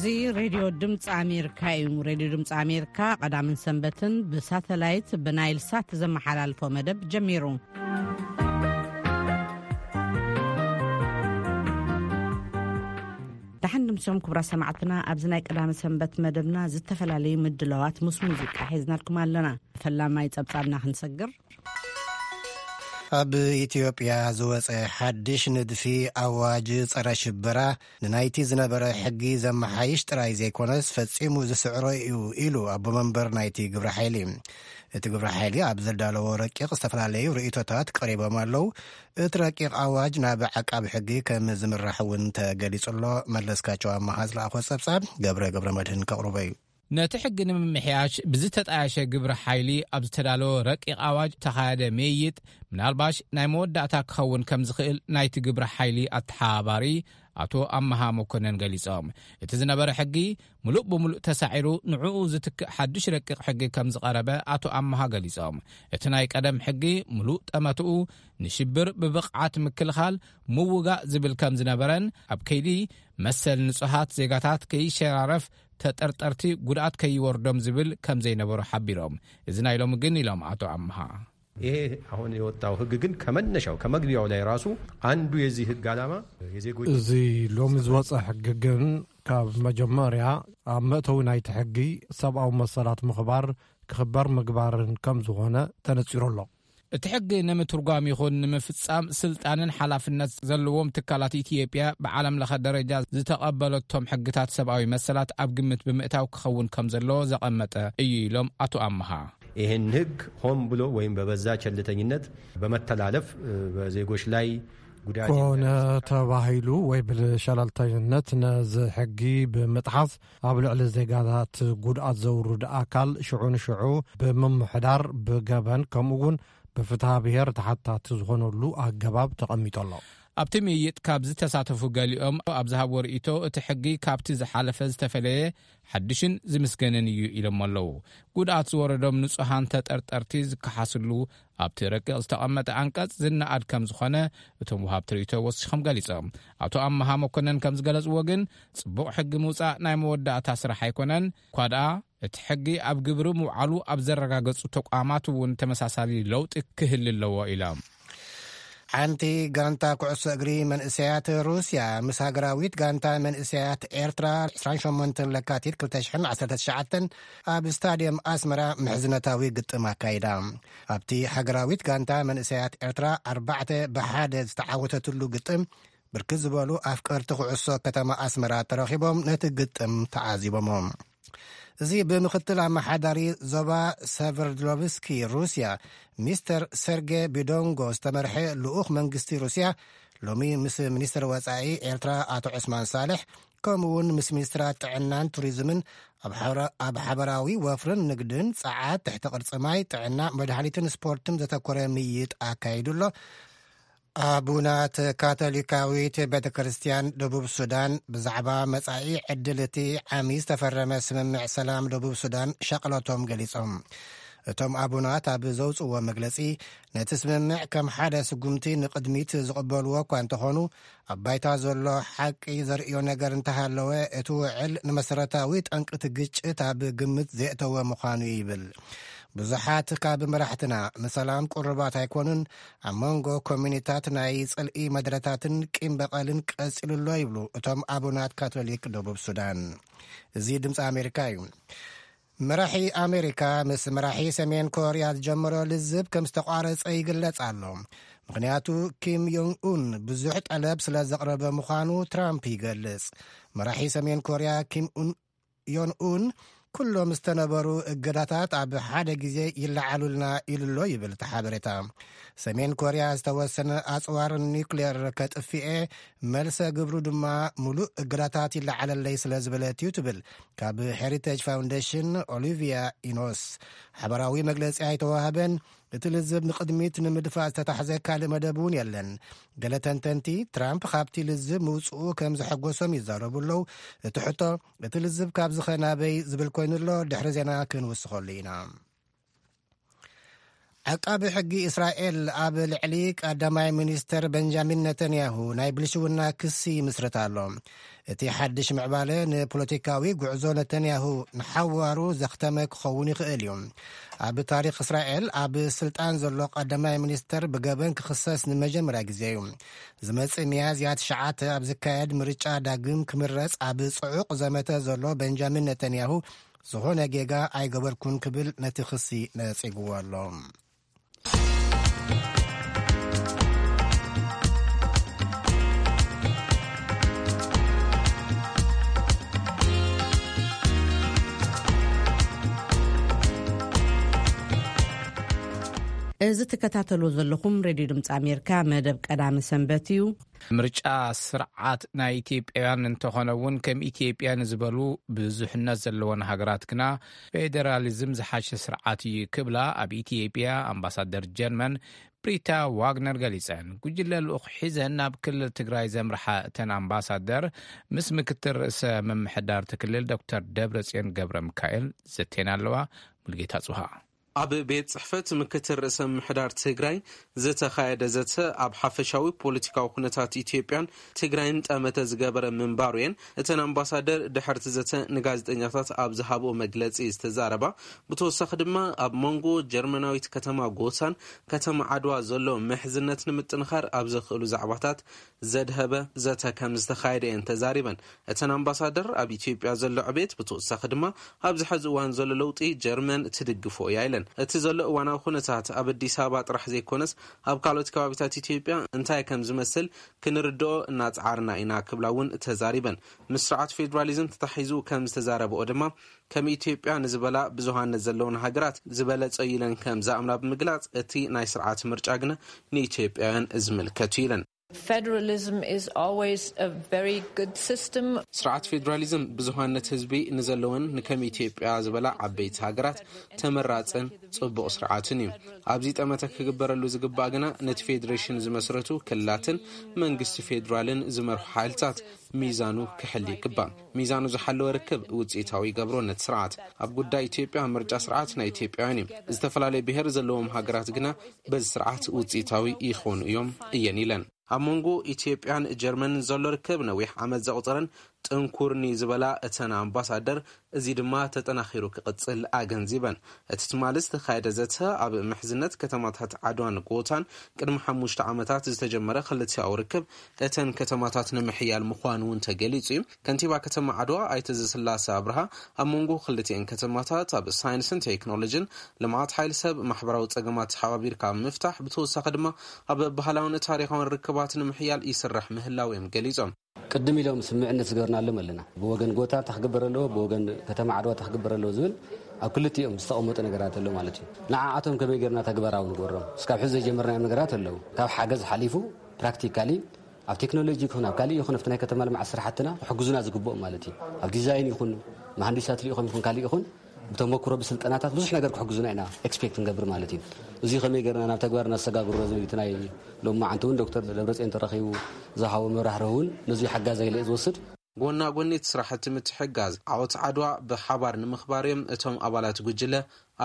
እዚ ሬድዮ ድምፂ ኣሜሪካ እዩ። ሬድዮ ድምፂ ኣሜሪካ ቀዳምን ሰንበትን ብሳተላይት ብናይል ሳት ዘመሓላልፎ መደብ ጀሚሩ። ደሓን ድምሶም ክቡራ ሰማዕትና፣ ኣብዚ ናይ ቀዳመ ሰንበት መደብና ዝተፈላለዩ ምድላዋት ምስ ሙዚቃ ሒዝናልኩም ኣለና። ፈላማይ ጸብጻብና ክንሰግር። ኣብ ኢትዮጵያ ዝወጸ ሓድሽ ንድፊ ኣዋጅ ጸረ ሽበራ ንናይቲ ዝነበረ ሕጊ ዘመሓይሽ ጥራይ ዘይኮነስ ፈጺሙ ዝስዕሮ እዩ ኢሉ ኣቦ መንበር ናይቲ ግብረ ሓይሊ። እቲ ግብረ ሓይሊ ኣብ ዘዳለዎ ረቂቕ ዝተፈላለዩ ርእይቶታት ቀሪቦም ኣለዉ። እቲ ረቂቕ ኣዋጅ ናብ ዓቃቢ ሕጊ ከም ዝምራሕ እውን ተገሊጹ ኣሎ። መለስካቸው ኣመሃ ዝለኣኾ ጸብጻብ ገብረ ገብረ መድህን ከቕርቦ እዩ። ነቲ ሕጊ ንምምሕያሽ ብዝተጣየሸ ግብረ ሓይሊ ኣብ ዝተዳለወ ረቂቕ ኣዋጅ ተኻየደ ምይይጥ ምናልባሽ ናይ መወዳእታ ክኸውን ከም ዝኽእል ናይቲ ግብረ ሓይሊ ኣተሓባባሪ ኣቶ ኣመሃ መኮነን ገሊጾም። እቲ ዝነበረ ሕጊ ምሉእ ብምሉእ ተሳዒሩ ንዕኡ ዝትክእ ሓድሽ ረቂቕ ሕጊ ከም ዝቐረበ ኣቶ ኣመሃ ገሊጾም። እቲ ናይ ቀደም ሕጊ ምሉእ ጠመትኡ ንሽብር ብብቕዓት ምክልኻል ምውጋእ ዝብል ከም ዝነበረን ኣብ ከይዲ መሰል ንጹሃት ዜጋታት ከይሸራረፍ ተጠርጠርቲ ጉድኣት ከይወርዶም ዝብል ከም ዘይነበሮ ሓቢሮም። እዚ ናይ ሎሚ ግን ኢሎም ኣቶ ኣመሃ። ይሄ አሁን የወጣው ህግ ግን ከመነሻው ከመግቢያው ላይ ራሱ አንዱ የዚህ ህግ ዓላማ የዜጎች እዚ ሎሚ ዝወፀ ሕጊ ግን ካብ መጀመርያ ኣብ መእተዊ ናይቲ ሕጊ ሰብኣዊ መሰላት ምኽባር ክኽበር ምግባርን ከም ዝኾነ ተነፂሩ ኣሎ። እቲ ሕጊ ንምትርጓም ይኹን ንምፍጻም ስልጣንን ሓላፍነት ዘለዎም ትካላት ኢትዮጵያ ብዓለም ለኸ ደረጃ ዝተቐበለቶም ሕግታት ሰብኣዊ መሰላት ኣብ ግምት ብምእታው ክኸውን ከም ዘለዎ ዘቐመጠ እዩ ኢሎም ኣቶ ኣመሃ። ይህን ህግ ሆን ብሎ ወይም በበዛ ቸልተኝነት በመተላለፍ በዜጎች ላይ ጉዳት ኮነ ተባሂሉ ወይ ብሸለልተኝነት ነዚ ሕጊ ብምጥሓስ ኣብ ልዕሊ ዜጋታት ጉድኣት ዘውርድ ኣካል ሽዑ ንሽዑ ብምምሕዳር ብገበን ከምኡ እውን ብፍትሃ ብሔር ተሓታቲ ዝኾነሉ ኣገባብ ተቐሚጡ ኣሎ። ኣብቲ ምይይጥ ካብ ዝተሳተፉ ገሊኦም ኣብ ዝሃብዎ ርእይቶ እቲ ሕጊ ካብቲ ዝሓለፈ ዝተፈለየ ሓድሽን ዝምስገንን እዩ ኢሎም ኣለዉ። ጉድኣት ዝወረዶም ንጹሃን ተጠርጠርቲ ዝከሓስሉ ኣብቲ ረቂቕ ዝተቐመጠ ኣንቀጽ ዝነኣድ ከም ዝኾነ እቶም ወሃብቲ ርእይቶ ወሲኾም ገሊጾም። ኣቶ ኣመሃ መኮነን ከም ዝገለጽዎ ግን ጽቡቕ ሕጊ ምውጻእ ናይ መወዳእታ ስራሕ ኣይኮነን። እኳ ደኣ እቲ ሕጊ ኣብ ግብሪ ምውዓሉ ኣብ ዘረጋገጹ ተቋማት እውን ተመሳሳሊ ለውጢ ክህል ኣለዎ ኢሎም። ሓንቲ ጋንታ ኩዕሶ እግሪ መንእሰያት ሩስያ ምስ ሃገራዊት ጋንታ መንእሰያት ኤርትራ ዕስራን ሸሞንተን ለካቲት ክልተ ሽሕን ዓሰርተ ትሽዓተን ኣብ ስታድየም ኣስመራ ምሕዝነታዊ ግጥም ኣካይዳ። ኣብቲ ሃገራዊት ጋንታ መንእሰያት ኤርትራ ኣርባዕተ ብሓደ ዝተዓወተትሉ ግጥም ብርክት ዝበሉ ኣፍቀርቲ ኩዕሶ ከተማ ኣስመራ ተረኺቦም ነቲ ግጥም ተዓዚቦሞ። እዚ ብምኽትል ኣመሓዳሪ ዞባ ሰቨርድሎቭስኪ ሩስያ ሚስተር ሰርጌ ቢዶንጎ ዝተመርሐ ልኡኽ መንግስቲ ሩስያ ሎሚ ምስ ሚኒስትር ወጻኢ ኤርትራ ኣቶ ዑስማን ሳልሕ ከምኡ እውን ምስ ሚኒስትራት ጥዕናን ቱሪዝምን ኣብ ሓበራ-፣ ኣብ ሓበራዊ ወፍርን ንግድን ጸዓት፣ ትሕቲ ቅርጺ ማይ፣ ጥዕና፣ መድሃኒትን ስፖርትን ዘተኮረ ምይይጥ ኣካይዱ ኣሎ። ኣቡናት ካቶሊካዊት ቤተ ክርስቲያን ደቡብ ሱዳን ብዛዕባ መጻኢ ዕድል እቲ ዓሚ ዝተፈረመ ስምምዕ ሰላም ደቡብ ሱዳን ሻቕለቶም ገሊጾም። እቶም ኣቡናት ኣብ ዘውጽእዎ መግለጺ፣ ነቲ ስምምዕ ከም ሓደ ስጉምቲ ንቕድሚት ዝቕበልዎ እኳ እንተኾኑ፣ ኣብ ባይታ ዘሎ ሓቂ ዘርእዮ ነገር እንተሃለወ፣ እቲ ውዕል ንመሰረታዊ ጠንቅቲ ግጭት ኣብ ግምት ዘእተወ ምዃኑ ይብል። ብዙሓት ካብ መራሕትና ንሰላም ቅሩባት ኣይኮኑን፣ ኣብ መንጎ ኮሚኒታት ናይ ጽልኢ መድረታትን ቂም በቐልን ቀጺሉ ኣሎ ይብሉ እቶም ኣቡናት ካቶሊክ ደቡብ ሱዳን። እዚ ድምፂ ኣሜሪካ እዩ። መራሒ ኣሜሪካ ምስ መራሒ ሰሜን ኮርያ ዝጀመሮ ልዝብ ከም ዝተቋረጸ ይግለጽ ኣሎ። ምኽንያቱ ኪም ዮንግ ኡን ብዙሕ ጠለብ ስለ ዘቕረበ ምዃኑ ትራምፕ ይገልጽ። መራሒ ሰሜን ኮርያ ኪም ኡን ዮን ኡን ኩሎም ዝተነበሩ እገዳታት ኣብ ሓደ ግዜ ይለዓሉልና ኢሉ ኣሎ ይብል እቲ ሓበሬታ። ሰሜን ኮርያ ዝተወሰነ ኣጽዋር ኒውክሌር ከጥፍኤ፣ መልሰ ግብሩ ድማ ሙሉእ እገዳታት ይለዓለለይ ስለ ዝበለት እዩ ትብል ካብ ሄሪቴጅ ፋውንዴሽን ኦሊቪያ ኢኖስ። ሓበራዊ መግለጺ ኣይተዋህበን። እቲ ልዝብ ንቕድሚት ንምድፋእ ዝተታሕዘ ካልእ መደብ እውን የለን። ገለ ተንተንቲ ትራምፕ ካብቲ ልዝብ ምውፅኡ ከም ዘሐጎሶም ይዛረቡ ኣለዉ። እቲ ሕቶ እቲ ልዝብ ካብዚ ኸ ናበይ ዝብል ኮይኑ ኣሎ። ድሕሪ ዜና ክንውስኸሉ ኢና። ዓቃቢ ሕጊ እስራኤል ኣብ ልዕሊ ቀዳማይ ሚኒስተር በንጃሚን ነተንያሁ ናይ ብልሽውና ክሲ ይምስርት ኣሎ። እቲ ሓድሽ ምዕባለ ንፖለቲካዊ ጉዕዞ ነተንያሁ ንሓዋሩ ዘኽተመ ክኸውን ይኽእል እዩ። ኣብ ታሪኽ እስራኤል ኣብ ስልጣን ዘሎ ቀዳማይ ሚኒስተር ብገበን ክኽሰስ ንመጀመርያ ግዜ እዩ። ዝመጽእ ሚያዝያ ትሽዓተ ኣብ ዝካየድ ምርጫ ዳግም ክምረጽ ኣብ ጽዑቕ ዘመተ ዘሎ በንጃሚን ነተንያሁ ዝኾነ ጌጋ ኣይገበርኩን ክብል ነቲ ክሲ ነጺግዎ ኣሎ። እዚ ትከታተሉ ዘለኹም ሬድዮ ድምፂ ኣሜሪካ መደብ ቀዳሚ ሰንበት እዩ። ምርጫ ስርዓት ናይ ኢትዮጵያውያን እንተኾነ እውን፣ ከም ኢትዮጵያ ንዝበሉ ብዙሕነት ዘለወን ሃገራት ግና ፌዴራሊዝም ዝሓሸ ስርዓት እዩ ክብላ ኣብ ኢትዮጵያ ኣምባሳደር ጀርመን ብሪታ ዋግነር ገሊጸን። ጉጅለ ልኡኽ ሒዘን ናብ ክልል ትግራይ ዘምርሓ እተን ኣምባሳደር፣ ምስ ምክትል ርእሰ ምምሕዳር እቲ ክልል ዶክተር ደብረጽዮን ገብረ ሚካኤል ዘቴና ኣለዋ። ሙልጌታ ጽሃ። ኣብ ቤት ጽሕፈት ምክትል ርእሰ ምምሕዳር ትግራይ ዝተኻየደ ዘተ፣ ኣብ ሓፈሻዊ ፖለቲካዊ ኩነታት ኢትዮጵያን ትግራይን ጠመተ ዝገበረ ምንባሩ እየን እተን ኣምባሳደር ድሕርቲ ዘተ ንጋዜጠኛታት ኣብ ዝሃብኦ መግለጺ ዝተዛረባ። ብተወሳኺ ድማ፣ ኣብ መንጎ ጀርመናዊት ከተማ ጎሳን ከተማ ዓድዋ ዘሎ ምሕዝነት ንምጥንኻር ኣብ ዘኽእሉ ዛዕባታት ዘድሀበ ዘተ ከም ዝተኻየደ እየን ተዛሪበን። እተን ኣምባሳደር፣ ኣብ ኢትዮጵያ ዘሎ ዕቤት፣ ብተወሳኺ ድማ ኣብዚ ሕዚ እዋን ዘሎ ለውጢ፣ ጀርመን ትድግፎ እያ ኢለን። እቲ ዘሎ እዋናዊ ኩነታት ኣብ ኣዲስ ኣበባ ጥራሕ ዘይኮነስ፣ ኣብ ካልኦት ከባቢታት ኢትዮጵያ እንታይ ከም ዝመስል ክንርድኦ እናጸዓርና ኢና ክብላ እውን ተዛሪበን። ምስ ስርዓት ፌዴራሊዝም ተታሒዙ ከም ዝተዛረበኦ ድማ፣ ከም ኢትዮጵያ ንዝበላ ብዙሃነት ዘለውን ሃገራት ዝበለጸ እዩ ኢለን ከም ዝኣምና ብምግላጽ፣ እቲ ናይ ስርዓት ምርጫ ግና ንኢትዮጵያውያን ዝምልከት እዩ ኢለን። Federalism is always a very good system. ስርዓት ፌዴራሊዝም ብዙሃነት ህዝቢ ንዘለወን ንከም ኢትዮጵያ ዝበላ ዓበይቲ ሃገራት ተመራጽን ጽቡቕ ስርዓትን እዩ። ኣብዚ ጠመተ ክግበረሉ ዝግባእ ግና፣ ነቲ ፌዴሬሽን ዝመስረቱ ክልላትን መንግስቲ ፌዴራልን ዝመርሑ ሓይልታት ሚዛኑ ክሕል ይግባእ። ሚዛኑ ዝሓለወ ርክብ ውጽኢታዊ ይገብሮ ነቲ ስርዓት። ኣብ ጉዳይ ኢትዮጵያ፣ ምርጫ ስርዓት ናይ ኢትዮጵያውያን እዩ። ዝተፈላለየ ብሔር ዘለዎም ሃገራት ግና በዚ ስርዓት ውጽኢታዊ ይኾኑ እዮም እየን ኢለን። ኣብ መንጎ ኢትዮጵያን ጀርመንን ዘሎ ርክብ ነዊሕ ዓመት ዘቑጸረን ጥንኩርኒ ዝበላ እተን ኣምባሳደር፣ እዚ ድማ ተጠናኺሩ ክቕጽል ኣገንዚበን። እቲ ትማሊ ዝተኻየደ ዘተ፣ ኣብ ምሕዝነት ከተማታት ዓድዋን ጎታን ቅድሚ ሓሙሽተ ዓመታት ዝተጀመረ ክልቲኣዊ ርክብ፣ እተን ከተማታት ንምሕያል ምዃኑ እውን ተገሊጹ እዩ። ከንቲባ ከተማ ዓድዋ ኣይተ ዘስላሰ ኣብርሃ፣ ኣብ መንጎ ክልቲኤን ከተማታት ኣብ ሳይንስን ቴክኖሎጂን፣ ልምዓት ሓይሊ ሰብ፣ ማሕበራዊ ጸገማት ተሓባቢርካ ኣብ ምፍታሕ፣ ብተወሳኺ ድማ ኣብ ባህላውን ታሪኻውን ርክባት ንምሕያል ይስራሕ ምህላው እዮም ገሊጾም። ቅድም ኢሎም ስምምዕነት ዝገበርናሎም ኣለና። ብወገን ጎታ እንታይ ክግበር ኣለዎ፣ ብወገን ከተማ ዓድዋ እንታይ ክግበር ኣለዎ ዝብል ኣብ ክልቲኦም ዝተቐመጡ ነገራት ኣሎ ማለት እዩ። ንዓኣቶም ከመይ ጌርና ተግባራዊ ንገብሮም? እስካብ ሕዚ ዘይጀመርናዮም ነገራት ኣለዉ። ካብ ሓገዝ ሓሊፉ ፕራክቲካሊ ኣብ ቴክኖሎጂ ይኹን ኣብ ካሊእ ይኹን ኣብቲ ናይ ከተማ ልምዓት ስራሕትና ክሕግዙና ዝግብኦም ማለት እዩ። ኣብ ዲዛይን ይኹን መሃንዲሳት ልኢኾም ይኹን ካሊእ ይኹን ብተመክሮ ብስልጠናታት ብዙሕ ነገር ክሕግዙና ኢና ኤክስፔክት ንገብር ማለት እዩ። እዚ ከመይ ጌርና ናብ ተግባር እናሰጋግሮ ዝብል እቲ ናይ ሎማዓንቲ እውን ዶክተር ደብረፅዮን ተረኺቡ ዝሃቦ መብራህርሂ እውን ነዚ ሓጋዛይ ኢለ እየ ዝወስድ። ጎና ጎኒ እቲ ስራሕቲ ምትሕጋዝ፣ ዓወት ዓድዋ ብሓባር ንምኽባር እዮም እቶም ኣባላት ጉጅለ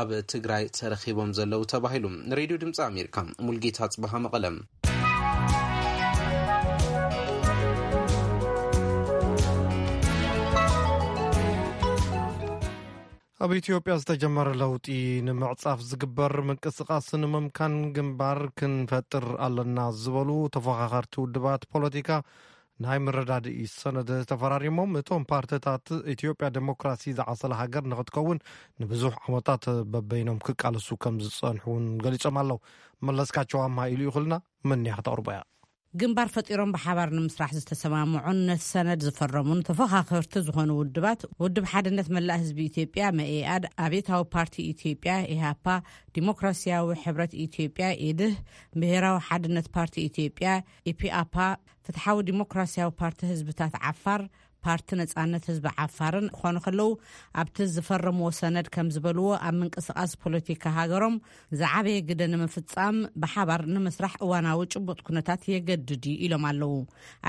ኣብ ትግራይ ተረኺቦም ዘለዉ ተባሂሉ። ንሬድዮ ድምፂ ኣሜሪካ፣ ሙልጌታ ጽበሃ፣ መቐለም። ኣብ ኢትዮጵያ ዝተጀመረ ለውጢ ንምዕጻፍ ዝግበር ምንቅስቓስ ንምምካን ግንባር ክንፈጥር ኣለና ዝበሉ ተፎኻኸርቲ ውድባት ፖለቲካ ናይ ምርዳድኢ ሰነድ ተፈራሪሞም። እቶም ፓርቲታት ኢትዮጵያ ዴሞክራሲ ዝዓሰለ ሃገር ንክትከውን ንብዙሕ ዓመታት በበይኖም ክቃለሱ ከም ዝጸንሑ እውን ገሊጾም ኣለዉ። መለስካቸው ኣምሃ ኢሉ ይኽልና፣ መን እያ ክተቕርቦ እያ? ግንባር ፈጢሮም ብሓባር ንምስራሕ ዝተሰማምዑን ነቲ ሰነድ ዝፈረሙን ተፎኻኸርቲ ዝኾኑ ውድባት፣ ውድብ ሓድነት መላእ ህዝቢ ኢትዮጵያ፣ መኢኣድ፣ ኣብዮታዊ ፓርቲ ኢትዮጵያ፣ ኢህኣፓ፣ ዲሞክራሲያዊ ሕብረት ኢትዮጵያ፣ ኢድህ፣ ብሄራዊ ሓድነት ፓርቲ ኢትዮጵያ፣ ኢፒኣፓ፣ ፍትሓዊ ዲሞክራሲያዊ ፓርቲ ህዝብታት ዓፋር፣ ፓርቲ ነጻነት ህዝቢ ዓፋርን ክኾኑ ከለዉ፣ ኣብቲ ዝፈረምዎ ሰነድ ከም ዝበልዎ፣ ኣብ ምንቅስቓስ ፖለቲካ ሃገሮም ዝዓበየ ግደ ንምፍጻም ብሓባር ንምስራሕ እዋናዊ ጭቡጥ ኩነታት የገድድ እዩ ኢሎም ኣለዉ።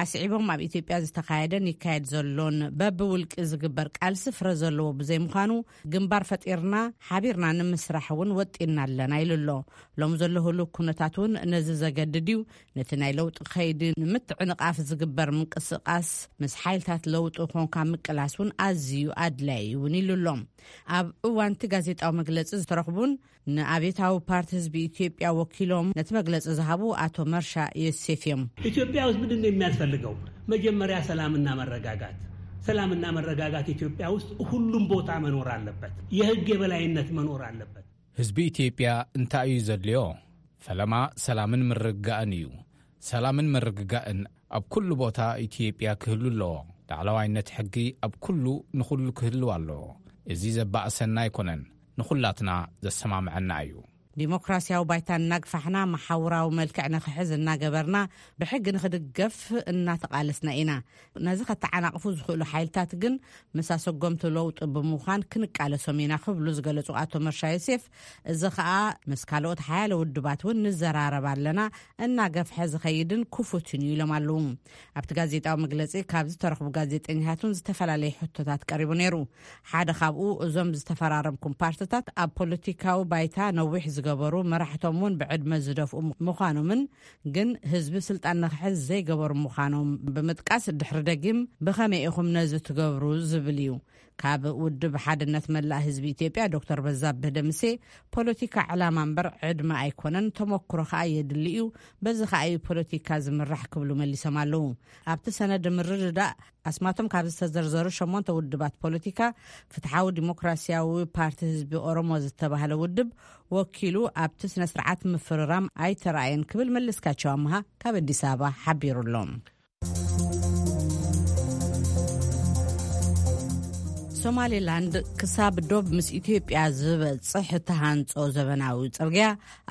ኣስዒቦም፣ ኣብ ኢትዮጵያ ዝተኻየደን ይካየድ ዘሎን በብውልቂ ዝግበር ቃልሲ ፍረ ዘለዎ ብዘይምዃኑ፣ ግንባር ፈጢርና ሓቢርና ንምስራሕ እውን ወጢና ኣለና ኢሉ ኣሎ። ሎም ዘሎ ህሉው ኩነታት እውን ነዚ ዘገድድ እዩ። ነቲ ናይ ለውጢ ከይዲ ንምትዕንቓፍ ዝግበር ምንቅስቓስ ምስ ሓይልታት ለውጢ ኮንካ ምቅላስ እውን ኣዝዩ ኣድላዪ እውን ኢሉ ኣሎ። ኣብ እዋንቲ ጋዜጣዊ መግለጺ ዝተረኽቡን ንኣብዮታዊ ፓርቲ ህዝቢ ኢትዮጵያ ወኪሎም ነቲ መግለጺ ዝሃቡ ኣቶ መርሻ ዮሴፍ እዮም። ኢትዮጵያ ውስጥ ምንድን ነው የሚያስፈልገው? መጀመሪያ ሰላምና መረጋጋት። ሰላምና መረጋጋት ኢትዮጵያ ውስጥ ሁሉም ቦታ መኖር አለበት። የህግ የበላይነት መኖር አለበት። ህዝቢ ኢትዮጵያ እንታይ እዩ ዘድልዮ? ፈለማ ሰላምን ምርግጋእን እዩ። ሰላምን ምርግጋእን ኣብ ኩሉ ቦታ ኢትዮጵያ ክህሉ ኣለዎ። ላዕለዋይነት ሕጊ ኣብ ኩሉ ንኹሉ ክህልው ኣለዎ። እዚ ዘባእሰና ኣይኮነን፣ ንኹላትና ዘሰማምዐና እዩ። ዲሞክራሲያዊ ባይታ እናግፋሕና መሓውራዊ መልክዕ ንኽሕዝ እናገበርና ብሕጊ ንኽድገፍ እናተቓለስና ኢና። ነዚ ከተዓናቕፉ ዝኽእሉ ሓይልታት ግን ምስ ኣሰጎምቲ ለውጢ ብምዃን ክንቃለሶም ኢና ክብሉ ዝገለጹ ኣቶ መርሻ ዮሴፍ፣ እዚ ኸኣ ምስ ካልኦት ሓያለ ውድባት እውን ንዘራረብ ኣለና፣ እናገፍሐ ዝኸይድን ክፉትን እዩ ኢሎም ኣለዉ። ኣብቲ ጋዜጣዊ መግለጺ ካብ ዝተረኽቡ ጋዜጠኛታት እውን ዝተፈላለየ ሕቶታት ቀሪቡ ነይሩ። ሓደ ካብኡ እዞም ዝተፈራረምኩም ፓርትታት ኣብ ፖለቲካዊ ባይታ ነዊሕ ዝገበሩ፣ መራሕቶም እውን ብዕድመ ዝደፍኡ ምዃኖምን ግን ህዝቢ ስልጣን ንኽሕዝ ዘይገበሩ ምዃኖም ብምጥቃስ፣ ድሕሪ ደጊም ብኸመይ ኢኹም ነዚ ትገብሩ ዝብል እዩ። ካብ ውድብ ሓድነት መላእ ህዝቢ ኢትዮጵያ ዶክተር በዛብህ ደምሴ፣ ፖለቲካ ዕላማ እምበር ዕድመ ኣይኮነን፣ ተመክሮ ከኣ የድሊ እዩ፣ በዚ ከኣ እዩ ፖለቲካ ዝምራሕ ክብሉ መሊሶም ኣለዉ። ኣብቲ ሰነድ ምርድዳእ ኣስማቶም ካብ ዝተዘርዘሩ ሸሞንተ ውድባት ፖለቲካ፣ ፍትሓዊ ዲሞክራሲያዊ ፓርቲ ህዝቢ ኦሮሞ ዝተባህለ ውድብ ወኪሉ ኣብቲ ስነ ስርዓት ምፍርራም ኣይተራእየን ክብል መለስካቸው ኣምሃ ካብ ኣዲስ ኣበባ ሓቢሩ ኣሎ። ሶማሌላንድ ክሳብ ዶብ ምስ ኢትዮጵያ ዝበጽሕ እተሃንጾ ዘበናዊ ጽርግያ፣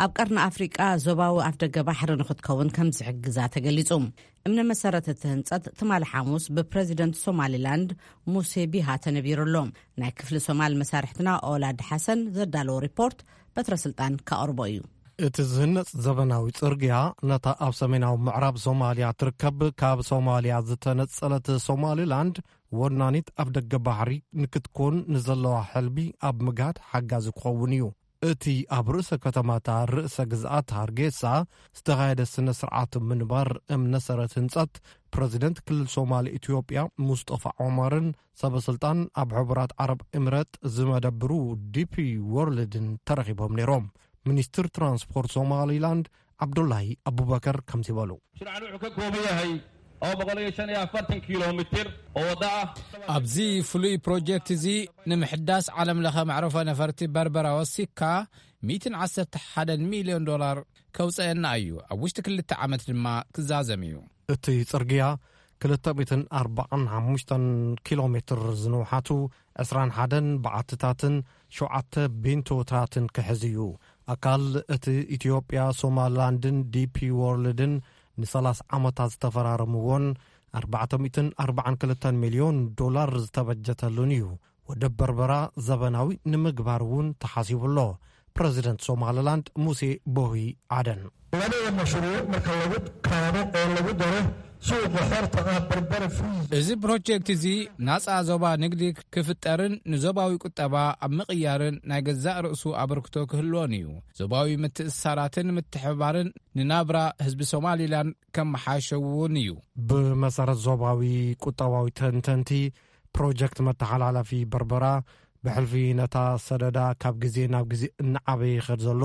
ኣብ ቀርኒ ኣፍሪቃ ዞባዊ ኣፍደገ ባሕሪ ንኽትከውን ከም ዝሕግዛ ተገሊጹ። እምነ መሰረት እቲ ህንጸት ትማሊ ሓሙስ ብፕረዚደንት ሶማሌላንድ ሙሴ ቢሃ ተነቢሩ ኣሎ። ናይ ክፍሊ ሶማል መሳርሕትና ኦላድ ሓሰን ዘዳለዎ ሪፖርት በትረ ስልጣን ከቕርቦ እዩ። እቲ ዝህነጽ ዘበናዊ ጽርግያ ነታ ኣብ ሰሜናዊ ምዕራብ ሶማልያ ትርከብ፣ ካብ ሶማልያ ዝተነጸለት ሶማሊላንድ ወናኒት ኣፍደገ ባሕሪ ንክትኮን ንዘለዋ ሕልሚ ኣብ ምግሃድ ሓጋዚ ክኸውን እዩ። እቲ ኣብ ርእሰ ከተማታ ርእሰ ግዝኣት ሃርጌሳ ዝተኻየደ ስነ ስርዓት ምንባር እምነ ሰረት ህንጸት ፕረዚደንት ክልል ሶማል ኢትዮጵያ ሙስጠፋ ዖመርን ሰበ ስልጣን ኣብ ሕቡራት ዓረብ ኤምሬት ዝመደብሩ ዲፒ ወርልድን ተረኺቦም ነይሮም። ሚኒስትር ትራንስፖርት ሶማሊላንድ ዓብዱላሂ ኣቡበከር ከምዚ በሉ። Mashruucan wuxuu ka kooban yahay laba boqol iyo shan iyo afartan kiiloomitir oo waddo ah. ኣብዚ ፍሉይ ፕሮጀክት እዚ ንምሕዳስ ዓለም ለኸ መዕረፎ ነፈርቲ በርበራ ወሲካ ሚእትን ዓሰርተ ሓደን ሚልዮን ዶላር ከውፀአና እዩ። ኣብ ውሽጢ ክልተ ዓመት ድማ ክዛዘም እዩ። እቲ ጽርግያ ክልተ ሚእትን ኣርባዓን ሓሙሽተን ኪሎ ሜትር ዝንውሓቱ ዕስራን ሓደን በዓትታትን ሸውዓተ ቢንቶታትን ክሕዝ እዩ። ኣካል እቲ ኢትዮጵያ ሶማላንድን ዲፒ ዎርልድን ንሰላሳ ዓመታት ዝተፈራረምዎን ኣርባዕተ ሚእትን ኣርባዓን ክልተን ሚልዮን ዶላር ዝተበጀተሉን እዩ። ወደብ በርበራ ዘበናዊ ንምግባር እውን ተሓሲቡ ኣሎ። ፕረዚደንት ሶማሊላንድ ሙሴ ቦሂ ዓደን። Labada mashruuc marka lagu kaabo oo lagu daro suuqa xorta ah Berbera Free. እዚ ፕሮጀክት እዚ ናጻ ዞባ ንግዲ ክፍጠርን ንዞባዊ ቁጠባ ኣብ ምቕያርን ናይ ገዛእ ርእሱ ኣበርክቶ ክህልዎን እዩ። ዞባዊ ምትእስሳራትን ምትሕብባርን ንናብራ ህዝቢ ሶማሊላንድ ከመሓሸ እውን እዩ። ብመሰረት ዞባዊ ቁጠባዊ ተንተንቲ፣ ፕሮጀክት መተሓላለፊ በርበራ ብሕልፊ ነታ ሰደዳ ካብ ግዜ ናብ ግዜ እናዓበየ ይኸድ ዘሎ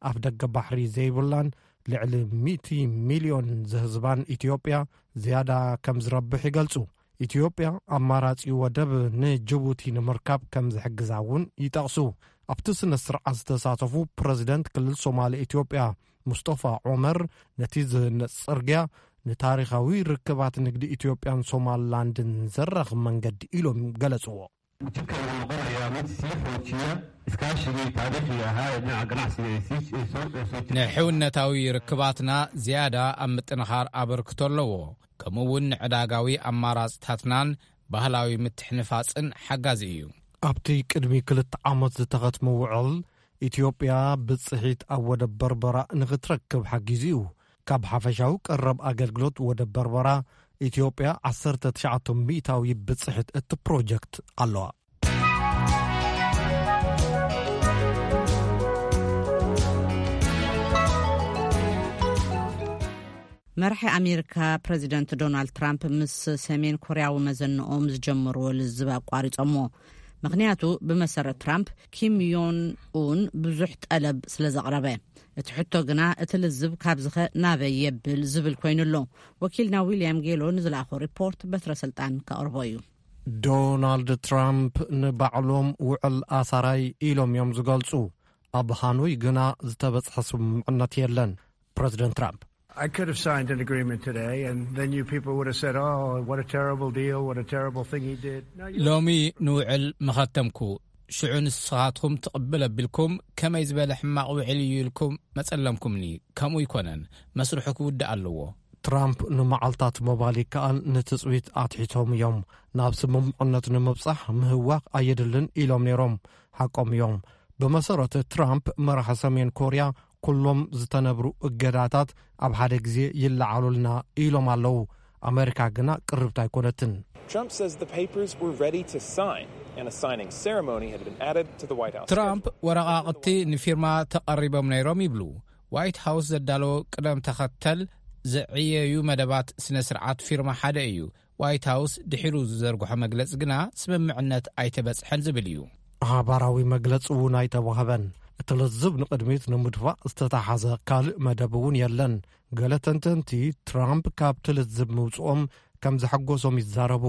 ኣፍ ደገ ባሕሪ ዘይብላን ልዕሊ ሚእቲ ሚልዮን ዝህዝባን ኢትዮጵያ ዝያዳ ከም ዝረብሕ ይገልጹ። ኢትዮጵያ ኣማራጺ ወደብ ንጅቡቲ ንምርካብ ከም ዝሕግዛ እውን ይጠቕሱ። ኣብቲ ስነ ስርዓት ዝተሳተፉ ፕረዚደንት ክልል ሶማሊ ኢትዮጵያ ሙስጠፋ ዑመር፣ ነቲ ዝህነጽ ጽርግያ ንታሪኻዊ ርክባት ንግዲ ኢትዮጵያን ሶማሊላንድን ዘራኽብ መንገዲ ኢሎም ገለጽዎ። Jidka wuxuu noqonayaa mid sii xoojiya iskaashigii taariikhiga ahaa ee dhinaca ganacsiga ee sii ee soo ee soo jirtay. ንሕውነታዊ ርክባትና ዝያዳ ኣብ ምጥንኻር ኣበርክቶ ኣለዎ። ከምኡ እውን ንዕዳጋዊ ኣማራፅታትናን ባህላዊ ምትሕንፋጽን ሓጋዚ እዩ። ኣብቲ ቅድሚ ክልተ ዓመት ዝተኸትመ ውዕል፣ ኢትዮጵያ ብጽሒት ኣብ ወደብ በርበራ ንኽትረክብ ሓጊዙ እዩ። ካብ ሓፈሻዊ ቀረብ ኣገልግሎት ወደብ በርበራ፣ ኢትዮጵያ ዓሰርተ ትሽዓተ ሚእታዊ ብጽሒት እቲ ፕሮጀክት ኣለዋ። መራሒ ኣሜሪካ ፕረዚደንት ዶናልድ ትራምፕ ምስ ሰሜን ኮርያዊ መዘንኦም ዝጀመርዎ ልዝብ ኣቋሪጾሞ። ምኽንያቱ፣ ብመሰረት ትራምፕ፣ ኪም ዮን ኡን ብዙሕ ጠለብ ስለ ዘቕረበ። እቲ ሕቶ ግና፣ እቲ ልዝብ ካብዚኸ ናበይ የብል ዝብል ኮይኑ ኣሎ። ወኪልና ዊልያም ጌሎ ንዝለኣኾ ሪፖርት በትረ ስልጣን ከቕርቦ እዩ። ዶናልድ ትራምፕ ንባዕሎም ውዕል ኣሳራይ ኢሎም እዮም ዝገልጹ። ኣብ ሃኖይ ግና ዝተበጽሐ ስምምዕነት የለን። ፕረዚደንት ትራምፕ I could have signed an agreement today, and then you people would have said, "Oh, what a terrible deal, what a terrible thing he did." No, you ሎሚ ንውዕል መኸተምኩ፣ ሽዑ ንስኻትኩም ትቕብል ኣቢልኩም፣ ከመይ ዝበለ ሕማቕ ውዕል እዩ ኢልኩም መጸለምኩምኒ። ከምኡ ይኮነን፣ መስርሑ ክውዳእ ኣለዎ። ትራምፕ ንመዓልታት ምባል ይከኣል፣ ንትጽቢት ኣትሒቶም እዮም። ናብ ስምምዕነት ንምብጻሕ ምህዋኽ ኣየድልን ኢሎም ነይሮም። ሓቆም እዮም። ብመሰረት ትራምፕ፣ መራሒ ሰሜን ኮርያ፣ ኩሎም ዝተነብሩ እገዳታት ኣብ ሓደ ግዜ ይለዓሉልና ኢሎም ኣለዉ። ኣመሪካ ግና ቅርብቲ ኣይኮነትን። Trump says the papers were ready to sign, and a signing ceremony had been added to the White House. ትራምፕ ወረቓቕቲ ንፊርማ ተቐሪቦም ነይሮም ይብሉ። ዋይት ሃውስ ዘዳለዎ ቅደም ተኸተል ዘዕየዩ መደባት ስነ ስርዓት ፊርማ ሓደ እዩ። ዋይት ሃውስ ድሒሩ ዝዘርግሖ መግለጺ ግና ስምምዕነት ኣይተበጽሐን ዝብል እዩ። ሓባራዊ መግለጺ እውን ኣይተዋህበን። እቲ ልዝብ ንቕድሚት ንምድፋእ ዝተታሓዘ ካልእ መደብ እውን የለን። ገለ ተንተንቲ፣ ትራምፕ ካብቲ ልዝብ ምውጽኦም ከም ዘሐጎሶም ይዛረቡ።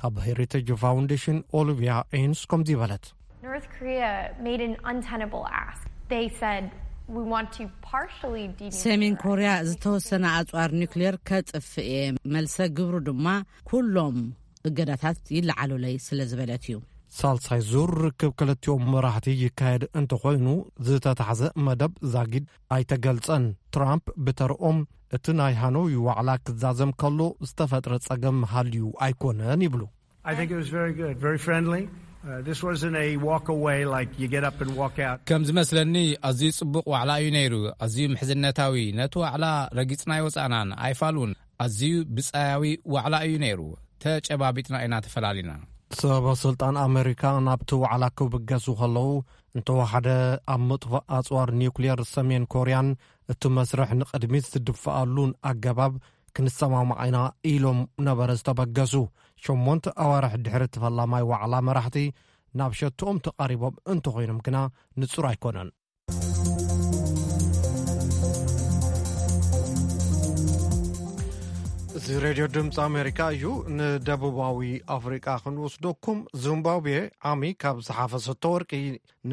ካብ ሄሪቴጅ ፋውንዴሽን ኦሊቪያ ኤንስ ከምዚ በለት። North Korea made an untenable ask. They said, "We want to partially denuclearize." ሰሜን ኮርያ ዝተወሰነ ኣጽዋር ኒውክሌር ከጥፍእ እየ፣ መልሰ ግብሩ ድማ ኩሎም እገዳታት ይለዓሉለይ ስለ ዝበለት እዩ። ሳልሳይ ዙር ርክብ ክልቲኦም መራሕቲ ይካየድ እንተኾይኑ፣ ዝተታሕዘ መደብ ዛጊድ ኣይተገልጸን። ትራምፕ ብተርኦም፣ እቲ ናይ ሃኖይ ዋዕላ ክዛዘም ከሎ ዝተፈጥረ ጸገም ሃልዩ ኣይኮነን ይብሉ። I think it was very good, very friendly. Uh, this wasn't a walk away like you get up and walk out. ከም ዝመስለኒ፣ ኣዝዩ ጽቡቕ ዋዕላ እዩ ነይሩ። ኣዝዩ ምሕዝነታዊ። ነቲ ዋዕላ ረጊጽና ኣይወጻእናን፣ ኣይፋሉን። ኣዝዩ ብጻያዊ ዋዕላ እዩ ነይሩ። ተጨባቢጥና ኢና ተፈላሊና። ሰበ ስልጣን ኣመሪካ ናብቲ ዋዕላ ክብገሱ ከለዉ፣ እንተወሓደ ኣብ ምጥፋእ ኣጽዋር ኒውክሌር ሰሜን ኮርያን እቲ መስርሕ ንቕድሚት ዝድፍኣሉን ኣገባብ ክንሰማማዕ ኢና ኢሎም ነበረ ዝተበገሱ። ሸሞንተ ኣዋርሕ ድሕሪ እቲ ፈላማይ ዋዕላ፣ መራሕቲ ናብ ሸትኦም ተቓሪቦም እንተኾይኖም ግና ንጹር ኣይኮነን። እዚ ሬድዮ ድምፂ ኣሜሪካ እዩ። ንደቡባዊ ኣፍሪቃ ክንወስደኩም። ዚምባብዌ ዓሚ ካብ ዝሓፈሰቶ ወርቂ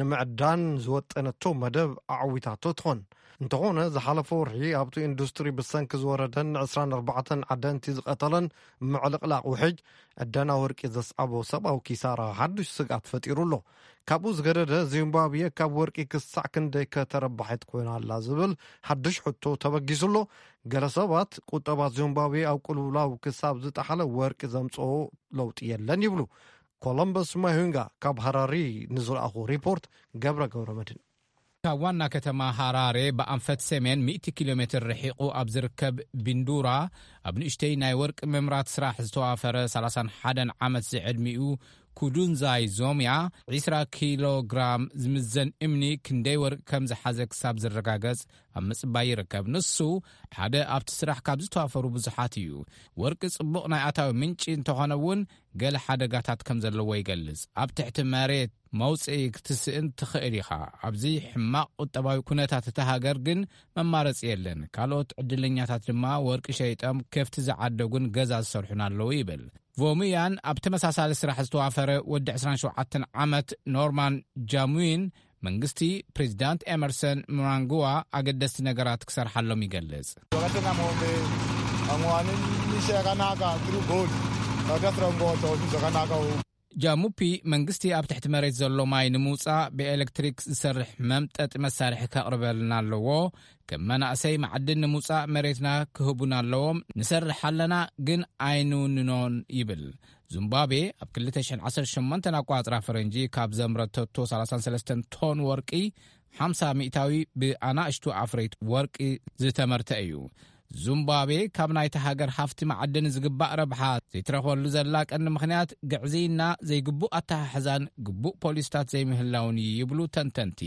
ንምዕዳን ዝወጠነቶ መደብ ኣዕዊታቶ ትኾን። እንተኾነ፣ ዝሓለፈ ወርሒ ኣብቲ ኢንዱስትሪ ብሰንኪ ዝወረደን ዕስራን ኣርባዕተን ዓደንቲ ዝቐተለን ምዕልቕላቕ ውሕጅ፣ ዕደና ወርቂ ዘስዓቦ ሰብኣዊ ኪሳራ ሓዱሽ ስግኣት ፈጢሩ ኣሎ። ካብኡ ዝገደደ፣ ዚምባብዌ ካብ ወርቂ ክሳዕ ክንደይ ከተረባሒት ኮይና ኣላ ዝብል ሓድሽ ሕቶ ተበጊሱ ኣሎ። ገለ ሰባት፣ ቁጠባ ዚምባብዌ ኣብ ቅልውላው ክሳብ ዝጠሓለ፣ ወርቂ ዘምጽኦ ለውጢ የለን ይብሉ። ኮሎምበስ ማሂንጋ ካብ ሃራሪ ንዝለኣኹ ሪፖርት፣ ገብረ ገብረ መድህን። ካብ ዋና ከተማ ሃራሬ ብኣንፈት ሰሜን ሚእቲ ኪሎ ሜትር ርሒቑ ኣብ ዝርከብ ቢንዱራ፣ ኣብ ንእሽተይ ናይ ወርቂ ምምራት ስራሕ ዝተዋፈረ ሰላሳን ሓደን ዓመት ዝዕድሚኡ ኩዱንዛይ ዞምያ፣ ዒስራ ኪሎ ግራም ዝምዘን እምኒ ክንደይ ወርቂ ከም ዝሓዘ ክሳብ ዝረጋገጽ ኣብ ምጽባይ ይርከብ። ንሱ ሓደ ኣብቲ ስራሕ ካብ ዝተዋፈሩ ብዙሓት እዩ። ወርቂ ጽቡቕ ናይ ኣታዊ ምንጪ እንተኾነ እውን፣ ገለ ሓደጋታት ከም ዘለዎ ይገልጽ። ኣብ ትሕቲ መሬት መውጽኢ ክትስእን ትኽእል ኢኻ። ኣብዚ ሕማቕ ቁጠባዊ ኩነታት እታ ሃገር ግን መማረጺ የለን። ካልኦት ዕድለኛታት ድማ ወርቂ ሸይጦም ከፍቲ ዝዓደጉን ገዛ ዝሰርሑን ኣለዉ ይብል። ቮሙያን ኣብ ተመሳሳሊ ስራሕ ዝተዋፈረ ወዲ ዕስራን ሸውዓተን ዓመት ኖርማን ጃሙዊን፣ መንግስቲ ፕሬዚዳንት ኤመርሰን ምናንግዋ ኣገደስቲ ነገራት ክሰርሓሎም ይገልጽ። Jalqabni seeqanaaqa tiru bool. Tajaajila ngoo ta'u seeqanaaqa. ጃሙፒ መንግስቲ ኣብ ትሕቲ መሬት ዘሎ ማይ ንምውጻእ ብኤሌክትሪክ ዝሰርሕ መምጠጢ መሳርሒ ከቕርበልና ኣለዎ። ከም መናእሰይ ማዕድን ንምውጻእ መሬትና ክህቡና ኣለዎም። ንሰርሕ ኣለና፣ ግን ኣይንውንኖን ይብል። ዚምባብዌ ኣብ ክልተ ሽሕን ዓሰርተ ሸሞንተን ኣቋጽራ ፈረንጂ ካብ ዘምረተቶ ሰላሳን ሰለስተን ቶን ወርቂ ሓምሳ ሚእታዊ ብኣናእሽቱ ኣፍረይት ወርቂ ዝተመርተ እዩ። ዚምባብዌ ካብ ናይቲ ሃገር ሃፍቲ መዓድን ዝግባእ ረብሓ ዘይትረኽበሉ ዘላ ቀንዲ ምኽንያት ግዕዝይና፣ ዘይግቡእ ኣተሓሕዛን ግቡእ ፖሊስታት ዘይምህላውን እዩ ይብሉ ተንተንቲ።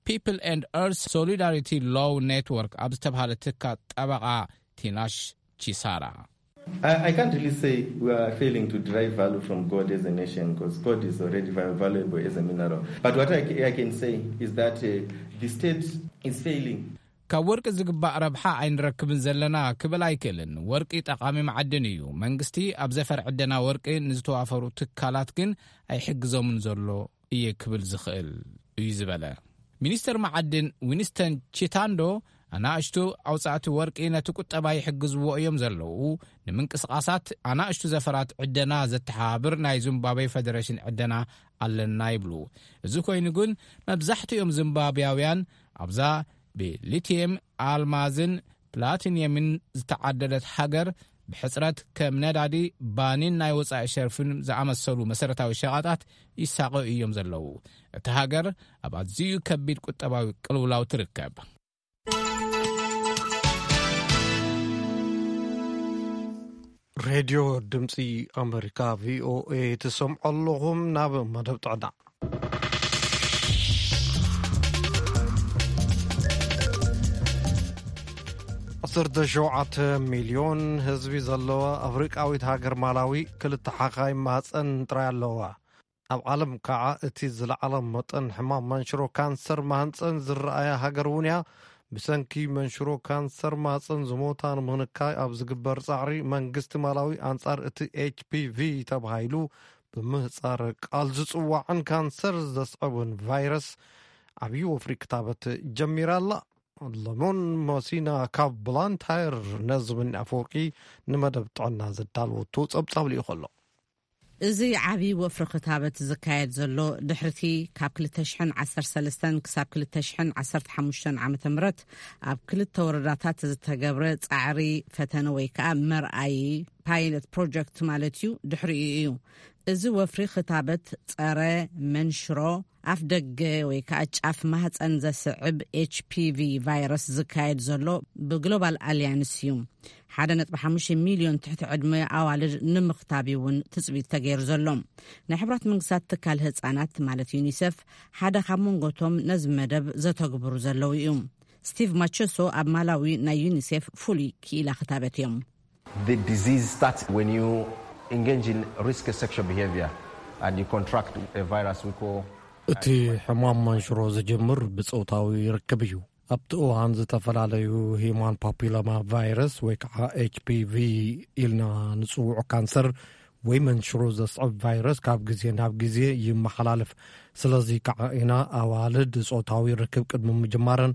People and Earth Solidarity Law Network ኣብ ዝተባህለ ትካል ጠበቓ ቲናሽ ቺሳራ። I, I can't really say we are failing to derive value from gold as a nation because gold is already va- valuable as a mineral. But what I, ca- I can say is that uh, the state is failing. ካብ ወርቂ ዝግባእ ረብሓ ኣይንረክብን ዘለና ክብል ኣይክእልን። ወርቂ ጠቓሚ መዓድን እዩ። መንግስቲ ኣብ ዘፈር ዕደና ወርቂ ንዝተዋፈሩ ትካላት ግን ኣይሕግዞምን ዘሎ እየ ክብል ዝኽእል እዩ ዝበለ ሚኒስተር መዓድን ዊንስተን ቺታንዶ፣ ኣናእሽቱ ኣውጻእቲ ወርቂ ነቲ ቁጠባ ይሕግዝዎ እዮም ዘለዉ፣ ንምንቅስቓሳት ኣናእሽቱ ዘፈራት ዕደና ዘተሓባብር ናይ ዚምባብዌ ፈደረሽን ዕደና ኣለና ይብሉ። እዚ ኮይኑ ግን መብዛሕትኦም ዚምባብያውያን ኣብዛ ብሊቲየም፣ ኣልማዝን ፕላቲኒየምን ዝተዓደለት ሃገር ብሕጽረት ከም ነዳዲ፣ ባኒን ናይ ወጻኢ ሸርፍን ዝኣመሰሉ መሰረታዊ ሸቐጣት ይሳቐዩ እዮም ዘለዉ። እታ ሃገር ኣብ ኣዝዩ ከቢድ ቁጠባዊ ቅልውላው ትርከብ። ሬድዮ ድምፂ ኣመሪካ ቪኦኤ ትሰምዑ ኣለኹም። ናብ መደብ ጥዕና። ዓሰርተ ሸውዓተ ሚልዮን ህዝቢ ዘለዋ ኣፍሪቃዊት ሃገር ማላዊ ክልተ ሓኻይ ማህፀን ጥራይ ኣለዋ። ኣብ ዓለም ከዓ እቲ ዝለዓለ መጠን ሕማም መንሽሮ ካንሰር ማህፀን ዝረኣያ ሃገር እውን እያ። ብሰንኪ መንሽሮ ካንሰር ማህፀን ዝሞታ ንምንካይ ኣብ ዝግበር ፃዕሪ መንግስቲ ማላዊ ኣንፃር እቲ ኤችፒቪ ተባሂሉ ብምህፃር ቃል ዝፅዋዕን ካንሰር ዘስዕብን ቫይረስ ዓብዪ ወፍሪ ክታበት ጀሚራ ኣላ። ለሞን መሲና ካብ ብላንታየር ነዚ ብኒ ኣፈወርቂ ንመደብ ጥዕና ዘዳለወቶ ጸብጻብ ልኢኹ ኣሎ። እዚ ዓቢ ወፍሪ ክታበት ዝካየድ ዘሎ ድሕርቲ ካብ ክልተ ሽሕን ዓሰርተ ሰለስተን ክሳብ ክልተ ሽሕን ዓሰርተ ሓሙሽተን ዓመተ ምህረት ኣብ ክልተ ወረዳታት ዝተገብረ ጻዕሪ ፈተነ ወይ ከኣ መርኣዪ ፓይለት ፕሮጀክት ማለት እዩ። ድሕሪኡ እዩ እዚ ወፍሪ ክታበት ጸረ መንሽሮ ኣፍ ደገ ወይ ከኣ ጫፍ ማህጸን ዘስዕብ ኤች ፒ ቪ ቫይረስ ዝካየድ ዘሎ ብግሎባል ኣልያንስ እዩ። ሓደ ነጥቢ ሓሙሽተ ሚልዮን ትሕቲ ዕድመ ኣዋልድ ንምኽታብ እዩ እውን ትጽቢት ተገይሩ ዘሎ። ናይ ሕብራት መንግስታት ትካል ህጻናት ማለት ዩኒሰፍ ሓደ ካብ መንጎቶም ነዚ መደብ ዘተግብሩ ዘለዉ እዩ። ስቲቭ ማቸሶ ኣብ ማላዊ ናይ ዩኒሴፍ ፍሉይ ክኢላ ክታበት እዮም። The disease starts when you engage in risky sexual behavior and you contract a virus we call እቲ ሕማም መንሽሮ ዝጅምር ብጾታዊ ርክብ እዩ። ኣብቲ እዋን ዝተፈላለዩ ሂማን ፓፒሎማ ቫይረስ ወይ ከዓ ኤች ፒ ቪ ኢልና ንጽውዑ ካንሰር ወይ መንሽሮ ዘስዕብ ቫይረስ ካብ ግዜ ናብ ግዜ ይመሓላለፍ። ስለዚ ከዓ ኢና ኣዋልድ ጾታዊ ርክብ ቅድሚ ምጅማረን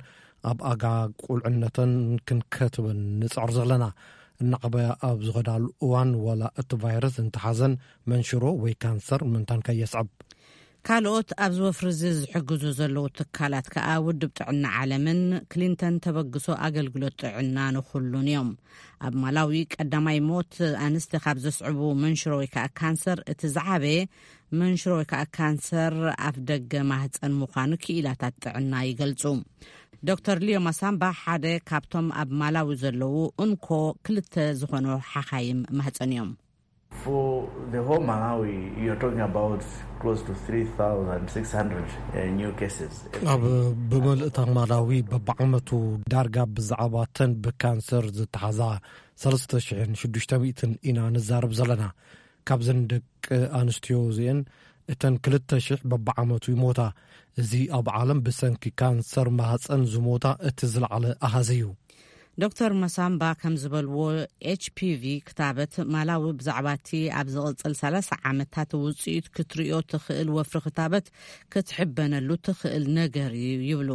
ኣብ ኣጋ ቁልዕነተን ክንከትበን ንጽዕር ዘለና። እናዕበያ ኣብ ዝኸዳሉ እዋን ዋላ እቲ ቫይረስ እንተሓዘን መንሽሮ ወይ ካንሰር ምንታን ከየስዕብ። ካልኦት ኣብዚ ወፍሪ እዚ ዝሕግዙ ዘለዉ ትካላት ከኣ ውድብ ጥዕና ዓለምን ክሊንተን ተበግሶ ኣገልግሎት ጥዕና ንኹሉን እዮም። ኣብ ማላዊ ቀዳማይ ሞት ኣንስቲ ካብ ዘስዕቡ መንሽሮ ወይ ከኣ ካንሰር እቲ ዝዓበየ መንሽሮ ወይ ከኣ ካንሰር ኣፍ ደገ ማህፀን ምዃኑ ክኢላታት ጥዕና ይገልጹ። ዶክተር ሊዮ ማሳምባ ሓደ ካብቶም ኣብ ማላዊ ዘለዉ እንኮ ክልተ ዝኾኑ ሓኻይም ማህፀን እዮም። For the whole Malawi, you're talking about close to three thousand six hundred uh, new cases. ኣብ ብመልእታ ማላዊ በብዓመቱ ዳርጋ ብዛዕባ ተን ብካንሰር ዝተሓዛ ሰለስተ ሽሕን ሽዱሽተ ሚእትን ኢና ንዛረብ ዘለና። ካብዘን ደቂ ኣንስትዮ እዚአን እተን ክልተ ሽሕ በብዓመቱ ይሞታ። እዚ ኣብ ዓለም ብሰንኪ ካንሰር ማህፀን ዝሞታ እቲ ዝለዓለ ኣሃዝ እዩ። ዶክተር መሳምባ ከም ዝበልዎ ኤች ፒ ቪ ክታበት ማላዊ ብዛዕባ እቲ ኣብ ዝቕጽል ሰላሳ ዓመታት ውጽኢት ክትርእዮ ትኽእል ወፍሪ ክታበት ክትሕበነሉ ትኽእል ነገር እዩ ይብሉ።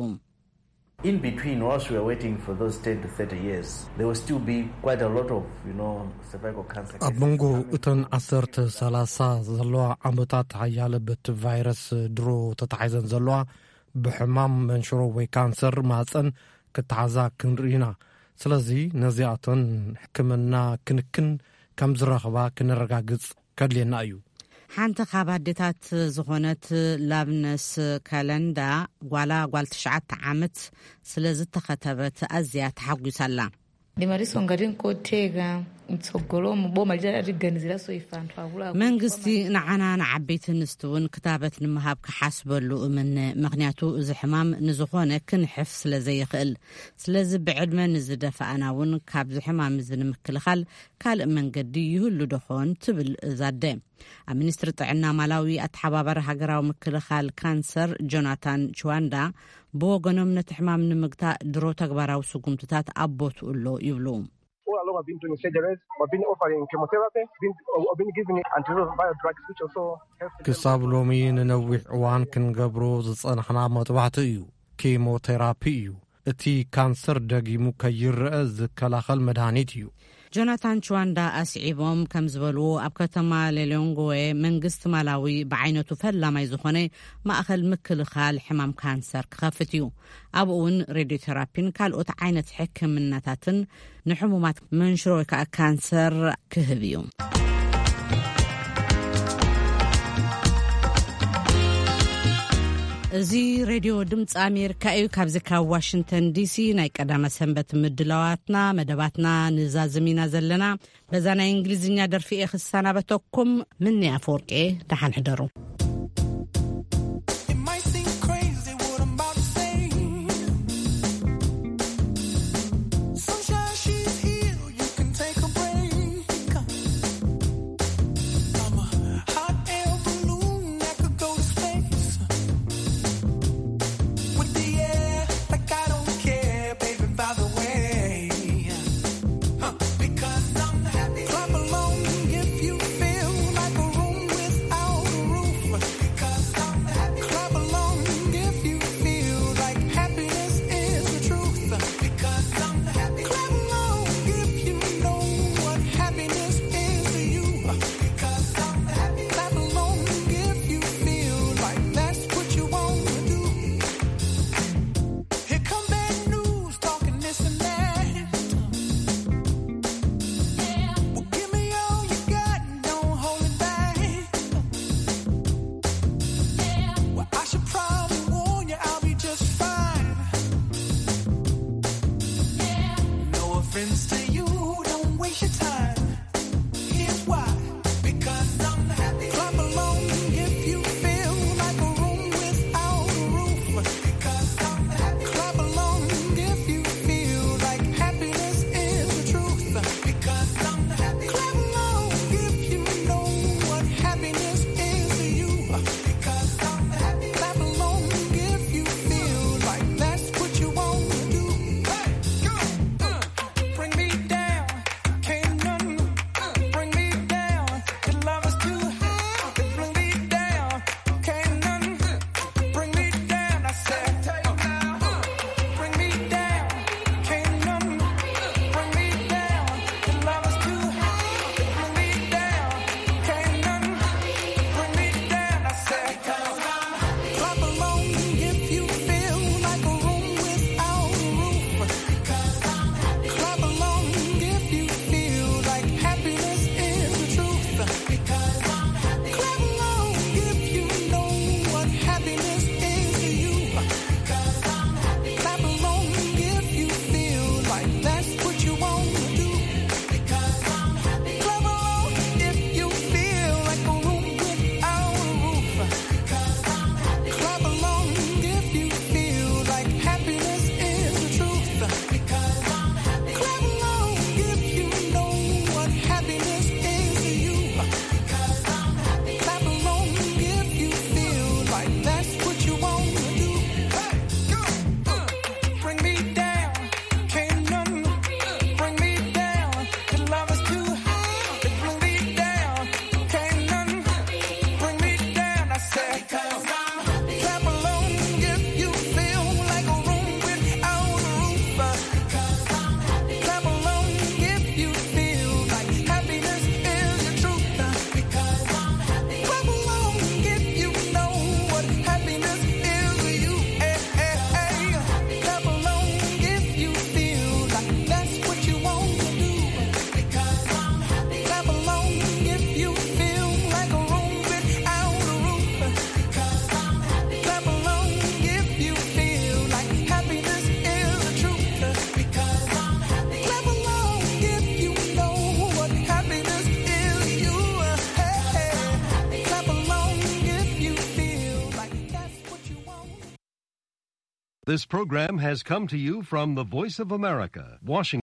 In between, whilst we are waiting for those ten to thirty years, there will still be quite a lot of, you know, cervical cancer ኣብ cases. መንጎ እተን ዓሰርተ ሰላሳ ዘለዋ ዓመታት ሓያለ በቲ ቫይረስ ድሮ ተታሒዘን ዘለዋ ብሕማም መንሽሮ ወይ ካንሰር ማህፀን ክተሓዛ ክንርኢ ኢና። ስለዚ ነዚኣተን ሕክምና ክንክን ከም ዝረኽባ ክነረጋግጽ ከድልየና እዩ። ሓንቲ ካብ ኣዴታት ዝኾነት ላብነስ ካለንዳ፣ ጓላ ጓል ትሽዓተ ዓመት ስለ ዝተኸተበት ኣዝያ ተሓጒሳ ኣላ። Ndi mali songa ndi nkoteka mtsogolo mu boma lija liganiziranso ife anthu akuluakulu. መንግስቲ ንዓና ንዓበይቲ ኣንስቲ እውን ክታበት ንምሃብ ክሓስበሉ እምነ፣ ምኽንያቱ እዚ ሕማም ንዝኾነ ክንሕፍ ስለ ዘይኽእል። ስለዚ ብዕድመ ንዝደፋኣና እውን ካብዚ ሕማም እዚ ንምክልኻል ካልእ መንገዲ ይህሉ ዶኾን ትብል እዛ ኣደ። ኣብ ሚኒስትሪ ጥዕና ማላዊ ኣተሓባባሪ ሃገራዊ ምክልኻል ካንሰር ጆናታን ችዋንዳ ብወገኖም፣ ነቲ ሕማም ንምግታእ ድሮ ተግባራዊ ስጉምትታት ኣብ ቦትኡ ኣሎ ይብሉ። All along I've been doing surgeries, I've been offering chemotherapy, been, I've been giving antiretroviral drugs, which also helps. ክሳብ ሎሚ ንነዊሕ እዋን ክንገብሮ ዝጸናሕና መጥባሕቲ እዩ። ኬሞቴራፒ እዩ። እቲ ካንሰር ደጊሙ ከይረአ ዝከላኸል መድሃኒት እዩ። ጆናታን ችዋንዳ ኣስዒቦም ከም ዝበልዎ፣ ኣብ ከተማ ሌሎንግዌ መንግስቲ ማላዊ ብዓይነቱ ፈላማይ ዝኾነ ማእኸል ምክልኻል ሕማም ካንሰር ክኸፍት እዩ። ኣብኡ እውን ሬድዮቴራፒን ካልኦት ዓይነት ሕክምናታትን ንሕሙማት መንሽሮ ወይ ከዓ ካንሰር ክህብ እዩ። እዚ ሬድዮ ድምፂ ኣሜሪካ እዩ። ካብዚ ካብ ዋሽንግተን ዲሲ ናይ ቀዳመ ሰንበት ምድላዋትና መደባትና ንዛዝም ኢና ዘለና። በዛ ናይ እንግሊዝኛ ደርፊ እየ ክሰናበተኩም። ምኒ ኣፈወርቂ፣ ደሓን ሕደሩ። It might seem crazy what I'm about to say. Sunshine, she's here, you can take a break. I'm a hot air balloon that could go to space. With the air, like I don't care, baby, by the way. Huh. Because I'm happy. Clap along if you feel like a room without a roof. Because I'm happy. Clap along if you feel like happiness is the truth. Because I'm happy. Clap along if you know what happiness is to you. Because I'm happy. Clap along if you feel like that's what you wanna do. Here come bad news talking this and that. Well, give me all you got, don't hold it back. Well, I should probably warn you, I'll be just fine. No offense to you, don't waste your time. Here's why. Because I'm happy. Clap along if you feel like a room without a roof. Because I'm happy. Clap along if you feel like happiness is the truth. Because I'm happy. Clap along if you know what happiness is to you. Because I'm happy. Clap along if you feel like that's what you wanna do. Hey, go. Uh, bring me This program has come to you from the Voice of America, Washington.